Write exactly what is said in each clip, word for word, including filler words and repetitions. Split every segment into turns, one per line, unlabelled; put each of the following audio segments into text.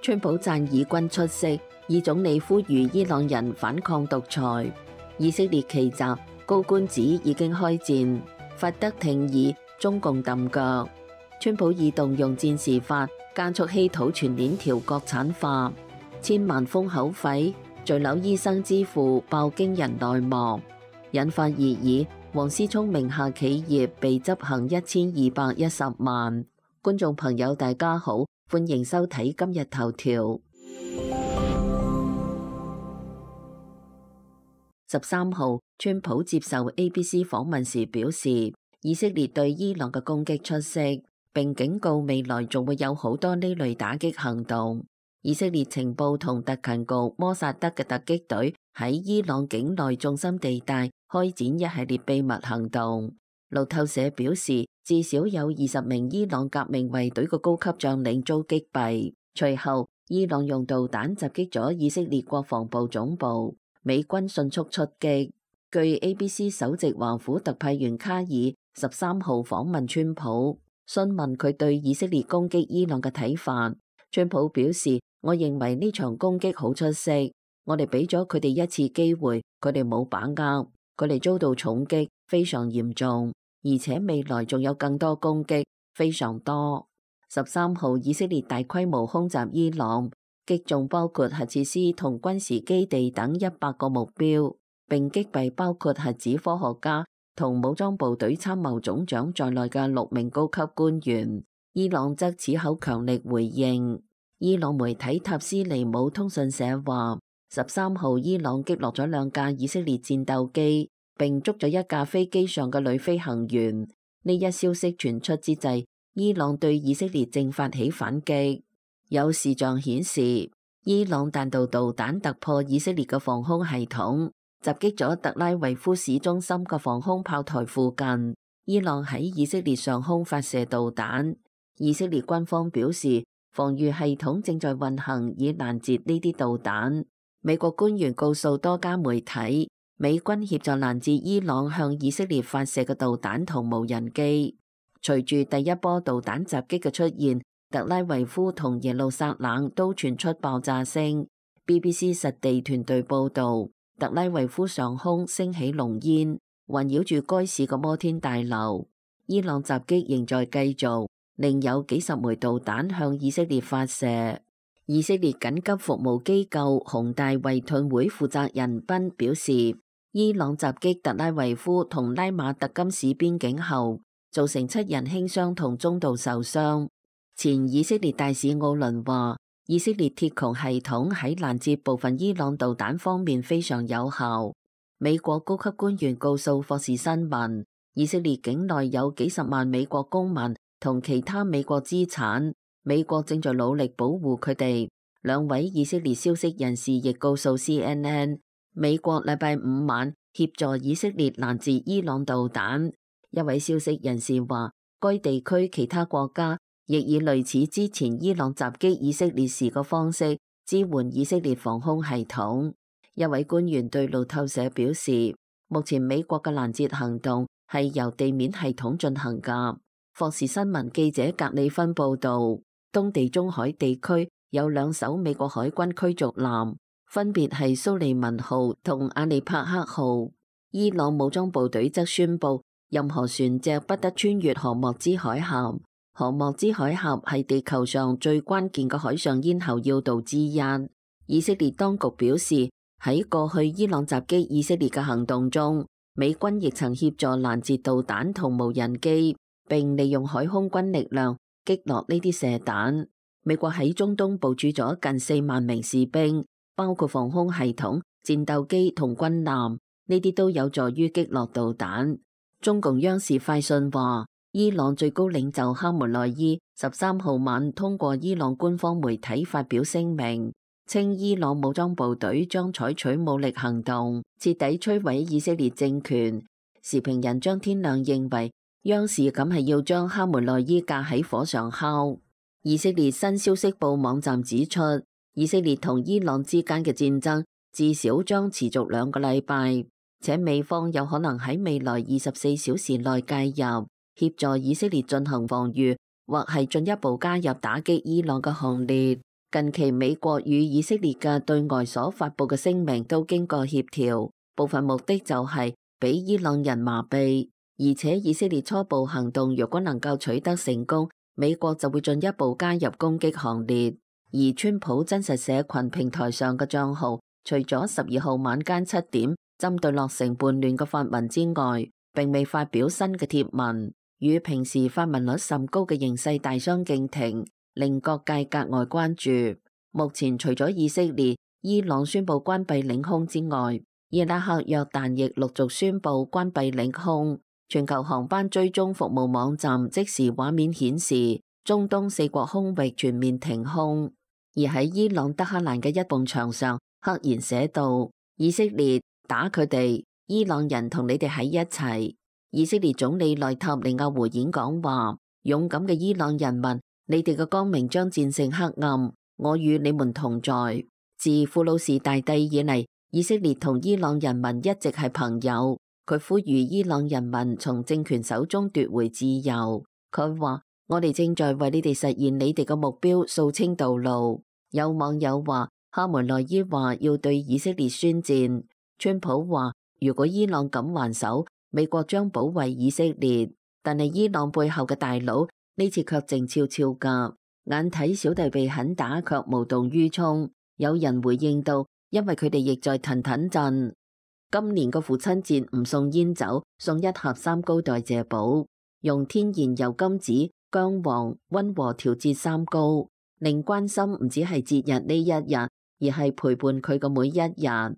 川普讚以軍出色，以總理呼籲伊朗人反抗獨裁。以色列奇襲，高官指已經開戰，罰得挺耳，中共揼腳。川普已動用戰時法加速稀土全鏈條國產化，千萬封口費，墜樓醫生之父爆驚人內幕，引發熱議。王思聰名下企業被執行一千二百一十萬。觀眾朋友大家好，歡迎收睇今日頭條。十三號，川普接受 A B C 訪問時表示，以色列對伊朗嘅攻擊出色，並警告未來仲會有好多呢類打擊行動。以色列情報同特勤局摩薩德嘅突擊隊喺伊朗境內重心地帶開展一系列秘密行動。路透社表示，至少有二十名伊朗革命衛隊嘅高級將領遭擊斃。隨後，伊朗用導彈襲擊咗以色列國防部總部，美軍迅速出擊。據 A B C 首席華府特派員卡爾十三號訪問川普，詢問佢對以色列攻擊伊朗嘅睇法。川普表示，我認為呢場攻擊好出色，我哋俾咗佢哋一次機會，佢哋冇把握，佢哋遭到重擊，非常嚴重，而且未來仲有更多攻擊，非常多。十三號，以色列大規模空襲伊朗，擊中包括核設施同軍事基地等一百個目標，並擊斃包括核子科學家同武裝部隊參謀總長在內嘅六名高級官員。伊朗則此後強力回應。伊朗媒體塔斯尼姆通訊社話，十三號伊朗擊落咗兩架以色列戰鬥機，並捉咗一架飛機上嘅女飛行員。呢一消息傳出之際，伊朗對以色列正發起反擊。有視像顯示，伊朗彈道導彈突破以色列嘅防空系統，襲擊咗特拉維夫市中心嘅防空炮台附近。伊朗喺以色列上空發射導彈。以色列軍方表示，防禦系統正在運行以攔截呢啲導彈。美國官員告訴多家媒體，美軍協助攔截伊朗向以色列發射嘅導彈同無人機。隨住第一波導彈襲擊嘅出現，特拉維夫同耶路撒冷都傳出爆炸聲。B B C 實地團隊報導，特拉維夫上空升起濃煙，環繞住該市嘅摩天大樓。伊朗襲擊仍在繼續。另有幾十枚導彈向以色列發射。以色列緊急服務機構紅大衛盾會負責人賓表示，伊朗襲擊特拉維夫同拉馬特金市邊境後，造成七人輕傷同中度受傷。前以色列大使奧倫話，以色列鐵穹系統喺攔截部分伊朗導彈方面非常有效。美國高級官員告訴霍士新聞，以色列境內有幾十萬美國公民同其他美國資產，美國正在努力保護佢哋。兩位以色列消息人士亦告訴 C N N， 美國禮拜五晚協助以色列攔截伊朗導彈。一位消息人士話，該地區其他國家亦以類似之前伊朗襲擊以色列時嘅方式支援以色列防空系統。一位官員對路透社表示，目前美國嘅攔截行動係由地面系統進行㗎。霍士新聞記者格里芬報導，東地中海地區有兩艘美國海軍驅逐艦，分別係蘇利文號同阿利帕克號。伊朗武裝部隊則宣布，任何船隻不得穿越荷莫茲海峽。荷莫茲海峽係地球上最關鍵嘅海上咽喉要道之一。以色列當局表示，喺過去伊朗襲擊以色列嘅行動中，美軍亦曾協助攔截導彈同無人機，並利用海空軍力量擊落呢啲射彈。美國喺中東部署咗近四萬名士兵，包括防空系統、戰鬥機同軍艦，呢啲都有助於擊落導彈。中共央視快訊話，伊朗最高領袖哈梅內伊十三號晚通過伊朗官方媒體發表聲明，稱伊朗武裝部隊將採取武力行動，徹底摧毀以色列政權。時評人張天亮認為，央視咁係要將哈梅內伊架喺火上烤。以色列新消息報網站指出，以色列同伊朗之間嘅戰爭至少將持續兩個禮拜，且美方有可能喺未來二十四小時內介入，協助以色列進行防禦，或係進一步加入打擊伊朗嘅行列。近期美國與以色列嘅對外所發佈嘅聲明都經過協調，部分目的就係俾伊朗人麻痹，而且以色列初步行動若果能夠取得成功，美國就會進一步加入攻擊行列。而川普真實社群平台上嘅賬號，除咗十二號晚間七點針對落成叛亂嘅發文之外，並未發表新嘅貼文，與平時發文率甚高嘅形勢大相徑庭，令各界格外關注。目前除咗以色列、伊朗宣布關閉領空之外，伊拉克、約旦亦陸續宣布關閉領空。全球航班追蹤服務網站即時畫面顯示，中東四國空域全面停空。而喺伊朗德黑蘭嘅一埲牆上，赫然寫道：以色列打佢哋，伊朗人同你哋喺一齊。以色列總理內塔尼亞胡演講話：勇敢嘅伊朗人民，你哋嘅光明將戰勝黑暗，我與你們同在。自庫魯士大帝以嚟，以色列同伊朗人民一直係朋友。佢呼籲伊朗人民從政權手中奪回自由。佢話：我哋正在為你哋實現你哋嘅目標掃清道路。有網友話，哈梅內伊話要對以色列宣戰。川普話，如果伊朗敢還手，美國將保衛以色列。但係伊朗背後嘅大佬呢次卻靜悄悄噶，眼睇小弟被狠打，卻無動於衷。有人回應到，因為佢哋亦在騰騰震。今年個父親節唔送煙酒，送一盒三高代謝寶，用天然油甘子、薑黃溫和調節三高。令關心唔只係節日呢一日，而係陪伴佢嘅每一日。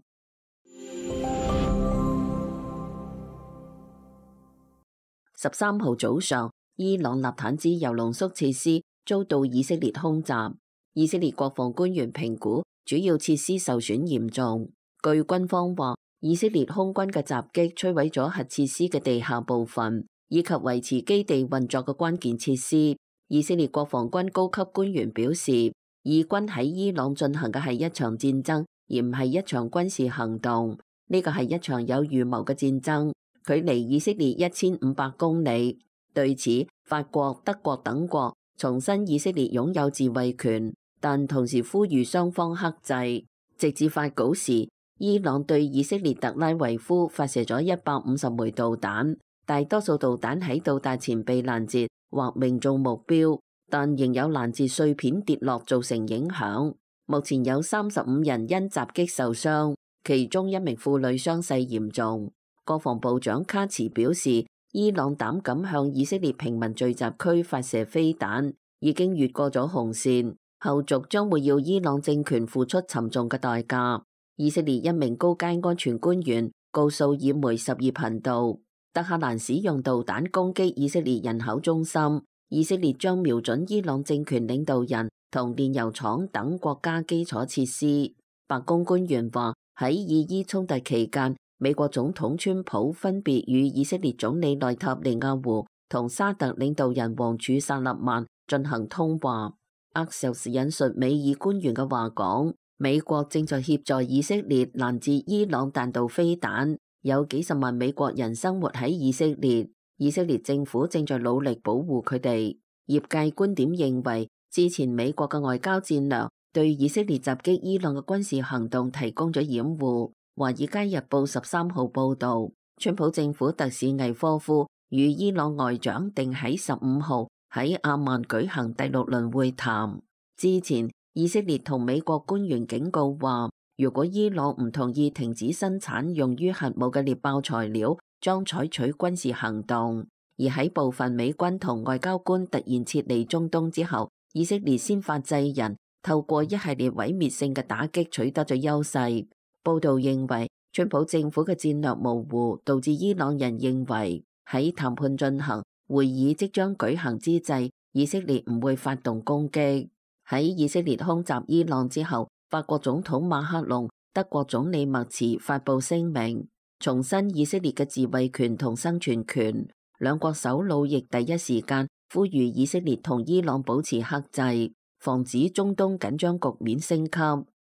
十三號早上，伊朗納坦茲鈾濃縮設施遭到以色列空襲，以色列國防官員評估主要設施受損嚴重。據軍方話，以色列空軍嘅襲擊摧毀咗核設施嘅地下部分，以及維持基地運作嘅關鍵設施。以色列國防軍高級官員表示，以軍喺伊朗進行嘅係一場戰爭，而唔係一場軍事行動。呢個係一場有預謀嘅戰爭，距離以色列一千五百公里。對此，法國、德國等國重申以色列擁有自衛權，但同時呼籲雙方克制。直至發稿時，伊朗對以色列特拉維夫發射咗一百五十枚導彈，大多數導彈喺到達前被攔截或命中目標，但仍有攔截碎片跌落造成影響。目前有三十五人因襲擊受傷，其中一名婦女傷勢嚴重。國防部長卡茨表示，伊朗膽敢向以色列平民聚集區發射飛彈，已經越過咗紅線，後續將會要伊朗政權付出沉重嘅代價。以色列一名高階安全官員告訴以媒十二頻道，德黑蘭使用導彈攻擊以色列人口中心，以色列將瞄準伊朗政權領導人同煉油廠等國家基礎設施。白宮官員話，喺以伊衝突期間，美國總統川普分別與以色列總理內塔尼亞胡同沙特領導人王儲薩勒曼進行通話。Axios 引述美以官員嘅話講，美國正在協助以色列攔截伊朗彈道飛彈。有幾十萬美國人生活喺以色列，以色列政府正在努力保護佢哋。業界觀點認為，之前美國嘅外交戰略對以色列襲擊伊朗嘅軍事行動提供咗掩護。華爾街日報十三號報導，川普政府特使魏科夫與伊朗外長定喺十五號喺阿曼舉行第六輪會談。之前，以色列同美國官員警告話，如果伊朗唔同意停止生產用於核武嘅獵爆材料，將採取軍事行動。而喺部分美軍同外交官突然撤離中東之後，以色列先發制人，透過一系列毀滅性嘅打擊取得咗優勢。報道認為，川普政府嘅戰略模糊，導致伊朗人認為喺談判進行、會議即將舉行之際，以色列唔會發動攻擊。喺以色列空襲伊朗之後，法國總統馬克龍、德國總理默茨發布聲明，重申以色列嘅自衛權同生存權。兩國首腦亦第一時間呼籲以色列同伊朗保持克制，防止中東緊張局面升級。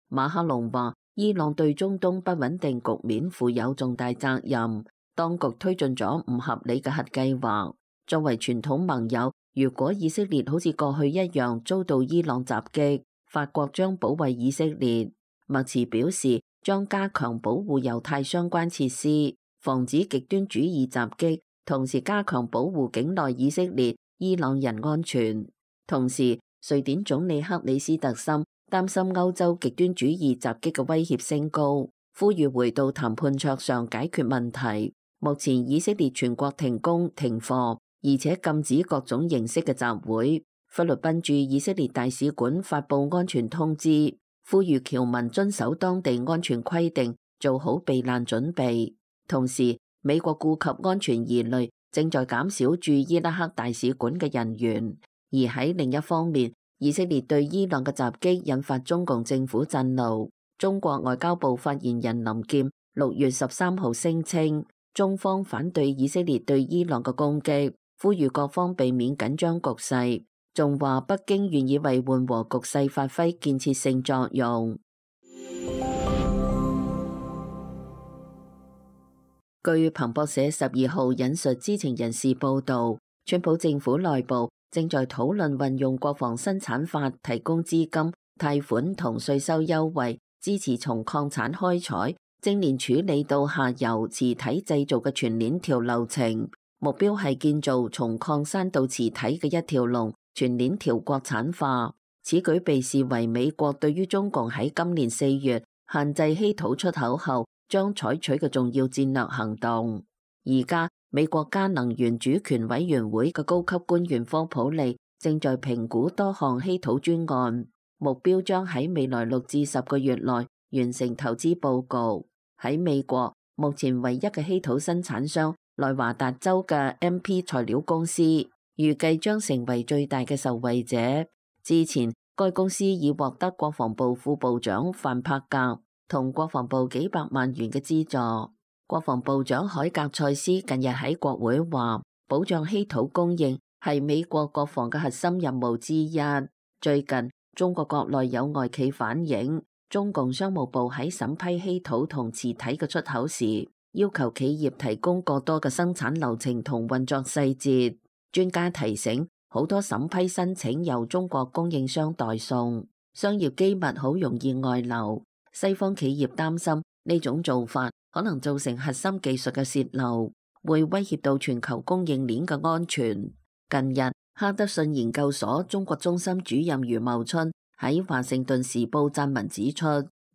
馬克龍話，伊朗對中東不穩定局面負有重大責任，當局推進咗唔合理嘅核計劃。作為傳統盟友，如果以色列好似過去一樣遭到伊朗襲擊，法國將保衛以色列。默茨表示將加強保護猶太相關設施，防止極端主義襲擊，同時加強保護境內以色列、伊朗人安全。同時，瑞典總理克里斯特森擔心歐洲極端主義襲擊嘅威脅升高，呼籲回到談判桌上解決問題。目前以色列全國停工停課，而且禁止各種形式嘅集會。菲律賓駐以色列大使館發布安全通知，呼籲僑民遵守當地安全規定，做好避難準備。同時，美國顧及安全疑慮，正在減少駐伊拉克大使館嘅人員。而喺另一方面，以色列對伊朗嘅襲擊引發中共政府震怒。中國外交部發言人林劍六月十三號聲稱，中方反對以色列對伊朗嘅攻擊，呼籲各方避免緊張局勢，仲話北京願意為緩和局勢發揮建設性作用。據彭博社十二號引述知情人士報道，川普政府內部正在討論運用國防生產法提供資金、貸款同稅收優惠，支持從礦產開採、精煉處理到下游磁體製造嘅全鏈條流程，目標係建造從礦山到磁體嘅一條龍全鏈條國產化。此舉被視為美國對於中共喺今年四月限制稀土出口後將採取嘅重要戰略行動。而家美國加能源主權委員會嘅高級官員科普利正在評估多項稀土專案，目標將喺未來六至十個月內完成投資報告。喺美國，目前唯一嘅稀土生產商內華達州嘅 M P 材料公司，預計將成為最大嘅受惠者。之前，該公司已獲得國防部副部長范柏格同國防部幾百萬元嘅資助。國防部長海格塞斯近日喺國會話，保障稀土供應係美國國防嘅核心任務之一。最近，中國國內有外企反映，中共商務部喺審批稀土同磁體嘅出口時，要求企業提供過多嘅生產流程同運作細節。專家提醒，好多審批申請由中國供應商代送，商業機密好容易外流。西方企業擔心呢種做法可能造成核心技術嘅洩漏，會威脅到全球供應鏈嘅安全。近日，哈德遜研究所中國中心主任余茂春喺華盛頓時報撰文指出，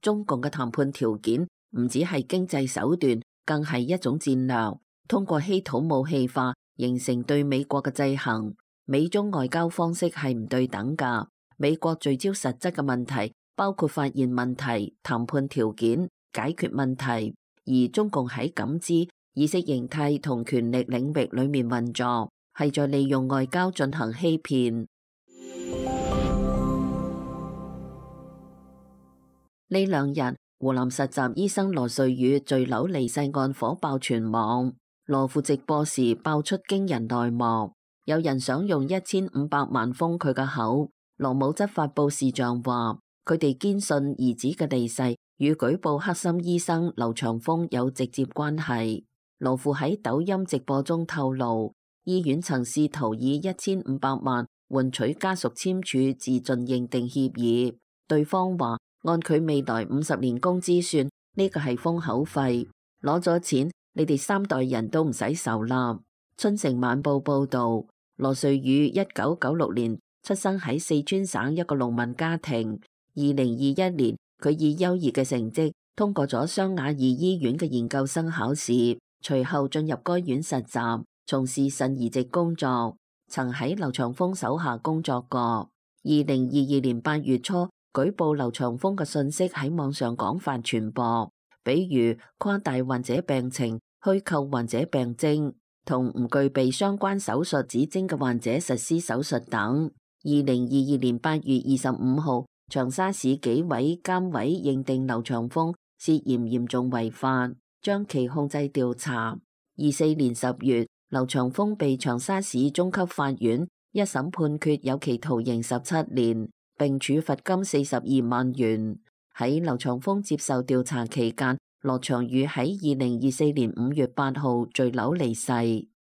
中共嘅談判條件唔只係經濟手段，更係一種戰略。通過稀土武器化形成對美國嘅制衡。美中外交方式係唔對等㗎。美國聚焦實質嘅問題，包括發現問題、談判條件、解決問題，而中共喺感知、意識形態同權力領域裏面運作，係在利用外交進行欺騙。呢兩日，湖南實習醫生羅瑞宇墜樓離世案火爆全網，羅父直播時爆出驚人內幕，有人想用一千五百萬封佢嘅口。羅母則發布視像話，佢哋堅信兒子嘅離世與舉報黑心醫生劉長峰有直接關係。羅父喺抖音直播中透露，醫院曾試圖以一千五百萬換取家屬簽署自盡認定協議，對方話按佢未來五十年工資算，呢個係封口費，攞咗錢你哋三代人都唔使受啦。春城晚報報道，羅瑞宇一九九六年出生喺四川省一個農民家庭。二零二一年，佢以優異嘅成績通過咗湘雅二醫院嘅研究生考試，隨後進入該院實習，從事腎移植工作，曾喺劉長峰手下工作過。二零二二年八月初，舉報劉長峰嘅信息喺網上廣泛傳播，比如誇大患者病情、虛構患者病徵，同唔具備相關手術指徵嘅患者實施手術等。二零二二年八月二十五號，長沙市紀委監委認定劉長峰涉嫌嚴重違法，將其控制調查。二四年十月，劉長峰被長沙市中級法院一審判決有期徒刑十七年，並處罰金四十二萬元。喺劉長峰接受調查期間，羅長宇喺二零二四年五月八號墜樓離世。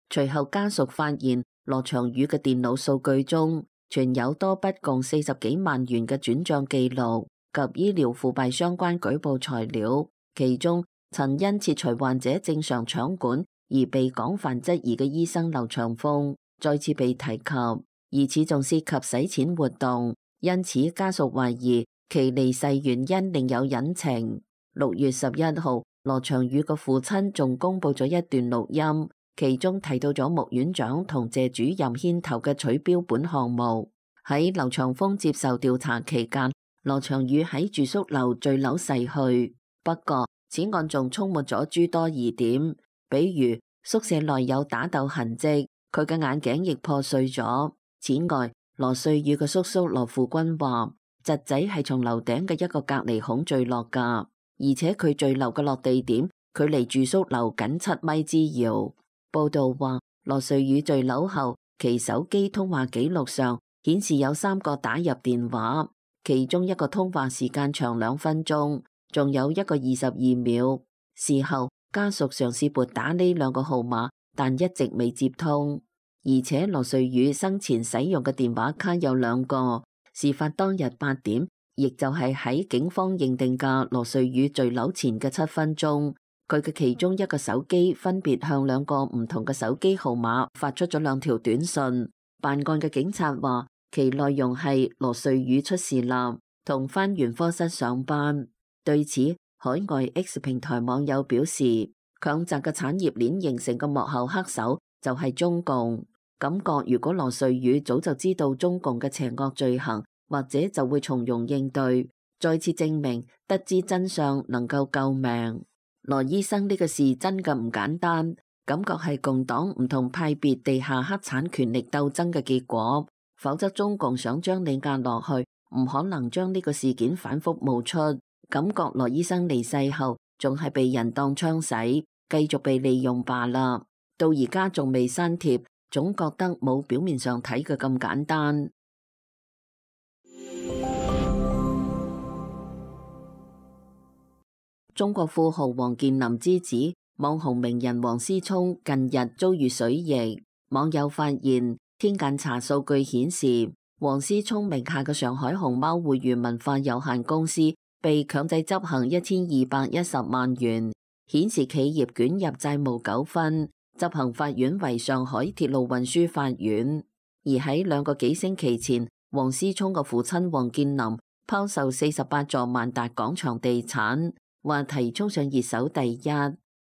隨後家屬發現羅長宇嘅電腦數據中存有多筆共四十幾萬元嘅轉賬記錄及醫療腐敗相關舉報材料，其中曾因切除患者正常腸管而被廣泛質疑嘅醫生劉長鳳再次被提及，而此仲涉及洗錢活動，因此家屬懷疑其離世原因另有隱情。六月十一號，羅長宇嘅父親仲公布咗一段錄音，其中提到咗穆院長同謝主任牽頭嘅取標本項目。喺劉長峰接受調查期間，羅長宇喺住宿樓墜樓逝去。不過，此案仲充滿咗諸多疑點，比如宿舍內有打鬥痕跡，佢嘅眼鏡亦破碎咗。此外，羅瑞宇嘅叔叔羅富軍話，侄仔係從樓頂嘅一個隔離孔墜落㗎，而且佢墜樓嘅落地點距離住宿樓僅七米之遙。報道話，羅瑞宇墜樓後，其手機通話記錄上顯示有三個打入電話，其中一個通話時間長兩分鐘，仲有一個二十二秒。事後家屬嘗試撥打呢兩個號碼，但一直未接通。而且羅瑞宇生前使用嘅電話卡有兩個。事發當日八點，亦就係喺警方認定嘅羅瑞宇墜樓前嘅七分鐘，佢嘅其中一個手機分別向兩個唔同嘅手機號碼發出咗兩條短信。辦案嘅警察話，其內容係羅瑞宇出事啦，同返原科室上班。對此，海外 X 平台網友表示，強責嘅產業鏈形成嘅幕後黑手就係中共。感覺如果羅瑞宇早就知道中共嘅邪惡罪行，或者就會從容應對，再次證明得知真相能夠救命。羅醫生呢個事真嘅唔簡單，感覺係共黨唔同派別地下黑產權力鬥爭嘅結果，否則中共想將你壓落去，唔可能將呢個事件反覆冒出。感覺羅醫生離世後仲係被人當槍使，繼續被利用罷啦。到而家仲未刪帖，總覺得冇表面上睇嘅咁簡單。中國富豪王健林之子、網紅名人王思聰近日遭遇水逆，網友發現天眼查數據顯示，王思聰名下嘅上海熊貓匯娛文化有限公司被強制執行一千二百一十萬元，顯示企業捲入債務糾紛。執行法院為上海鐵路運輸法院。而喺兩個幾星期前，王思聰嘅父親王健林拋售四十八座萬達廣場地產，話題衝上熱搜第一。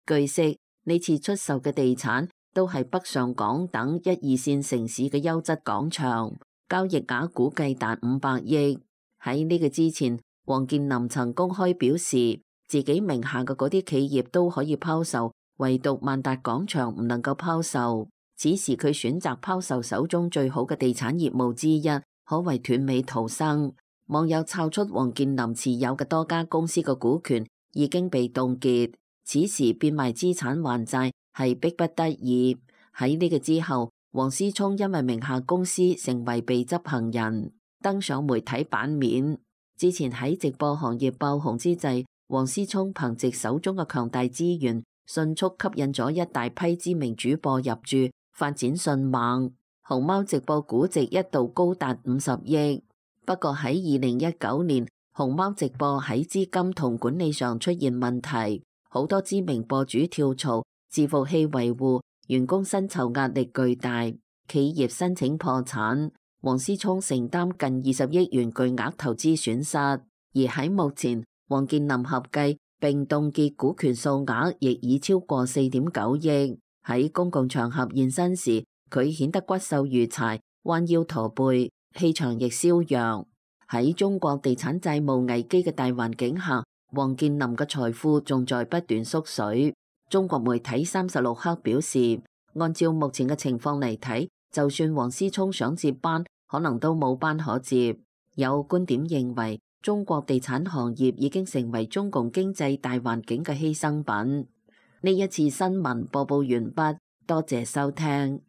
據悉，呢次出售嘅地產都係北上廣等一二線城市嘅優質廣場，交易額估計達五百億。喺呢個之前，王健林曾公開表示，自己名下嘅嗰啲企業都可以拋售，唯獨萬達廣場唔能夠拋售。此時佢選擇拋售手中最好嘅地產業務之一，可謂斷尾逃生。網友抄出王健林持有嘅多家公司嘅股權已經被凍結，此時變賣資產還債係迫不得已。喺呢個之後，王思聰因為名下公司成為被執行人，登上媒體版面。之前喺直播行業爆紅之際，王思聰憑借手中嘅強大資源，迅速吸引咗一大批知名主播入駐，發展迅猛。熊貓直播估值一度高達五十億。不過喺二零一九年，熊貓直播喺資金同管理上出現問題，好多知名博主跳槽，伺服器維護、員工薪酬壓力巨大，企業申請破產。王思聰承擔近二十億元巨額投資損失，而喺目前，王健林合計並凍結股權數額亦已超過四點九億。喺公共場合現身時，佢顯得骨瘦如柴，彎腰駝背，氣場亦蕭揚。喺中國地產債務危機嘅大環境下，王健林嘅財富仲在不斷縮水。中國媒體三十六氪表示，按照目前嘅情況嚟睇，就算王思聰想接班，可能都冇班可接。有觀點認為，中國地產行業已經成為中共經濟大環境嘅犧牲品。呢一次新聞播報完畢，多謝收聽。